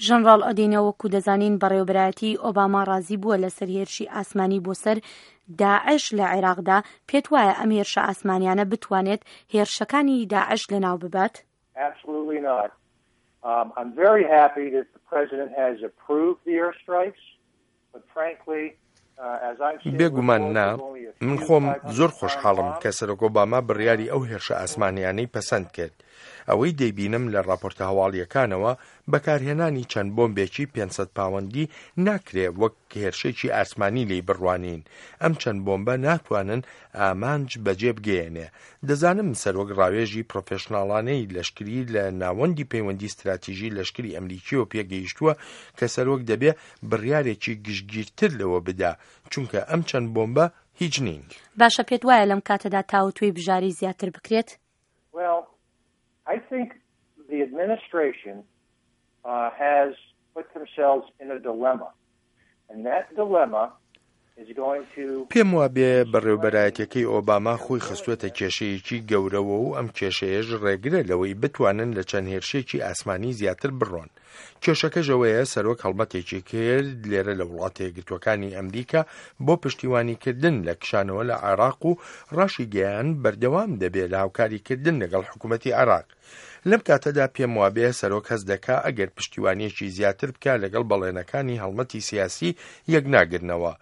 ژەنڕاڵ ئۆدینۆ وەکو دەزانین بەڕێوەبەرایەتی ئۆباما ڕازی بووە لەسەر هێرشی ئاسمانی بۆ سەر داعش لە عێراقدا، پێت وایە ئەم هێرشە ئاسمانیانە بتوانێت هێرشەکانی داعش لەناو ببات؟ Absolutely not. Um, I'm very happy that the president has approved the airstrikes, but frankly, بێگومان نا، من خۆم زۆر خۆشحاڵم کە سەرۆک ئۆباما بڕیاری ئەو هێرشە ئاسمانیانەی پەسەند کرد. ئەوەی دەیبینم لە ڕاپۆرتە هەواڵییەکانەوە، بەکارهێنانی چەند بۆمبێکی 500 پاوەندی ناکرێ وەک هێرشێکی ئاسمانی لێی بڕوانین. ئەم چەند بۆمبە ناتوانن ئامانج بەجێ بگەیەنێ. دەزانم سەرۆک ڕاوێژی پرۆفێشناڵانەی لەشکری لە ناوەندی پەیوەندی ستراتیژی لەشکری ئەمریکیەوە پێگەیشتووە کە سەرۆک دەبێ بڕیارێکی گشتگیرتر لەوە بدا، چونکە ئەم چەند بۆمبە هیچ نین. باشە پێت وایە لەم کاتەدا تاوتوێی بژارەی زیاتر بکرێت؟ Well, I think the administration uh, has put themselves in a dilemma. And that dilemma is going to پێم وابێ بەڕێوبەرایەتیەکەی ئۆباما خۆی خستووەتە کێشەیەکی گەورەوە و ئەم کێشەیەش ڕێگرە لەوەی بتوانن لە چەند هێرشێکی ئاسمانی زیاتر بڕۆن. کێشەکەش ئەوەیە سەرۆک هەڵمەتێکی کرد لێرە لە وڵاتە یەکگرتووەکانی ئەمریکا بۆ پشتیوانیکردن لە کشانەوە لە عێراق و ڕاشیگەیاند بەردەوام دەبێ لە هاوکاریکردن لەگەڵ حکوومەتی عێراق. لەم کاتەدا پێم وابێ سەرۆک هەست دەکا ئەگەر پشتیوانیەکی زیاتر بکا لەگەڵ بەڵێنەکانی هەڵمەتی سیاسی یەک ناگرنەوە.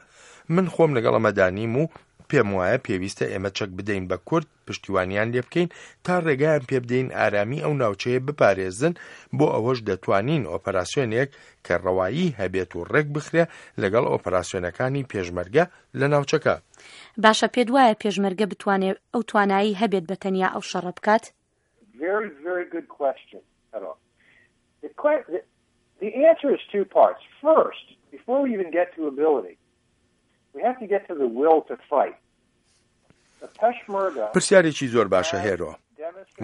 من خۆم لەگەڵ ئەمەدا نیم و پێم وایە پێویستە ئێمە چەک بدەین بە کورد، پشتیوانیان لێ بکەین تا ڕێگایان پێ بدەین ئارامی ئەو ناوچەیە بپارێزن، بۆ ئەوەش دەتوانین ئۆپەراسیۆنێک کە ڕەوایی هەبێت و ڕێک بخرێ لەگەڵ ئۆپەراسیۆنەکانی پێشمەرگە لە ناوچەکە. باشە پێت وایە پێشمەرگە بتوانێ ئەو توانایی هەبێت بە تەنیا ئەو شەڕە بکات؟ Very very good question Hero. The, the, the answer is two parts. First, before we even get to ability, we have to get to the will to fight. پرسیارێکی زۆر باشە هێرۆ.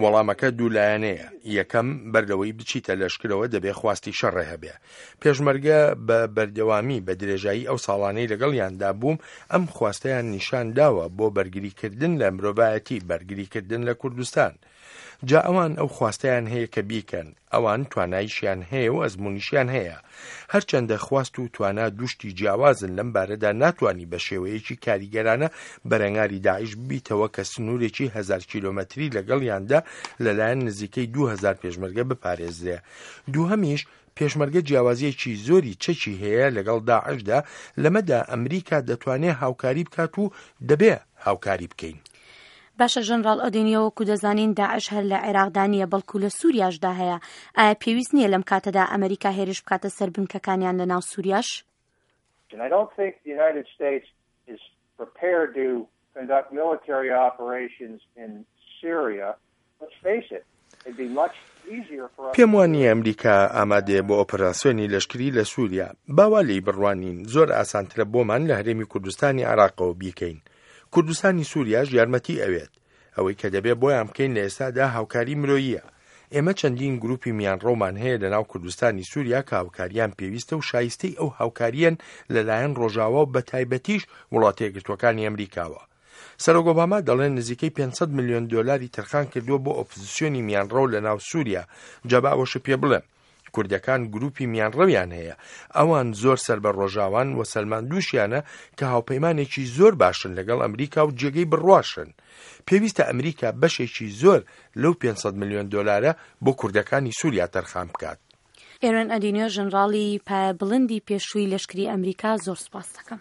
وەڵامەکە دوولایەنەیە، یەکەم، بەر لەوەی بچیتە لەشکرەوە دەبێ خواستی شەڕێ هەبێ. پێشمەرگە بە بەردەوامی بە درێژایی ئەو ساڵانەی لەگەڵیاندا بووم ئەم خواستەیان نیشان داوە بۆ بەرگریکردن لە مرۆڤایەتی، بەرگریکردن لە کوردستان. جا ئەوان ئەو خواستەیان هەیە کە بیکەن، ئەوان توانایشیان هەیە و ئەزموونیشیان هەیە. هەرچەندە خواست و توانا دوو شتی جیاوازن، لەم بارەدا ناتوانی بە شێوەیەکی کاریگەرانە بەرەنگاری داعش ببیتەوە کە سنوورێکی هەزار کیلۆمەتری لەگەڵیاندا لەلایەن نزیکەی 2000 پێشمەرگە بپارێزرێ. دووهەمیش پێشمەرگە جیاوازییەکی زۆری چەکی هەیە لەگەڵ داعشدا، لەمەدا ئەمریکا دەتوانێ هاوکاری بکات و دەبێ هاوکاری بکەین. باشە ژەنڕاڵ ئۆدینیۆ وەکو دەزانین داعش هەر لە عێراقدا نییە بەڵکو لە سوریاشدا هەیە، ئایا پێویست نییە لەم کاتەدا ئەمریکا هێرش بکاتە سەر بنکەکانیان لە ناو سوریاش؟ I don't think the United States is prepared to conduct military operations in Syria. Let's face it, it'd be much easier for us. پێم وا نییە ئەمریکا ئامادەیە بۆ ئۆپەراسیۆنی لەشکری لە سووریا. با وا لێی بڕوانین، زۆر ئاسانترە بۆمان لە هەرێمی کوردستانی عێراقەوە بیکەین. کوردستانی سووریاش یارمەتی ئەوێت. ئەوەی کە دەبێ بۆیان بکەین لە ئێستادا هاوکاری مرۆییە. ئێمە چەندین گروپی میانڕەومان هەیە لە ناو کوردستانی سووریا کە هاوکاریان پێویستە و شایستەی ئەو هاوکارییەن لە لایەن ڕۆژاوا و بەتایبەتیش وڵاتە یەکگرتووەکانی ئەمریکاوە. سەرۆک ئۆباما دەڵێ نزیکەی 500 ملیۆن دۆلاری تەرخان کردووە بۆ ئۆپزسیۆنی میانڕەو لە ناو سووریا، جا با ئەوەشت پێ بڵێم کوردەکان گروپی میانڕەویان هەیە، ئەوان زۆر سەر بە ڕۆژاوان و سەلماندووشیانە کە هاوپەیمانێکی زۆر باشن لەگەڵ ئەمریکا و جێگەی بڕواشن. پێویستە ئەمریکا بەشێکی زۆر لەو 500 ملیۆن دۆلارە بۆ کوردەکانی سووریا تەرخان بکات. ئێرۆن ئەدینیۆ ژەنراڵی پایە بڵندی پێشووی لەشکری ئەمریکا زۆر سوپاست دەکەم.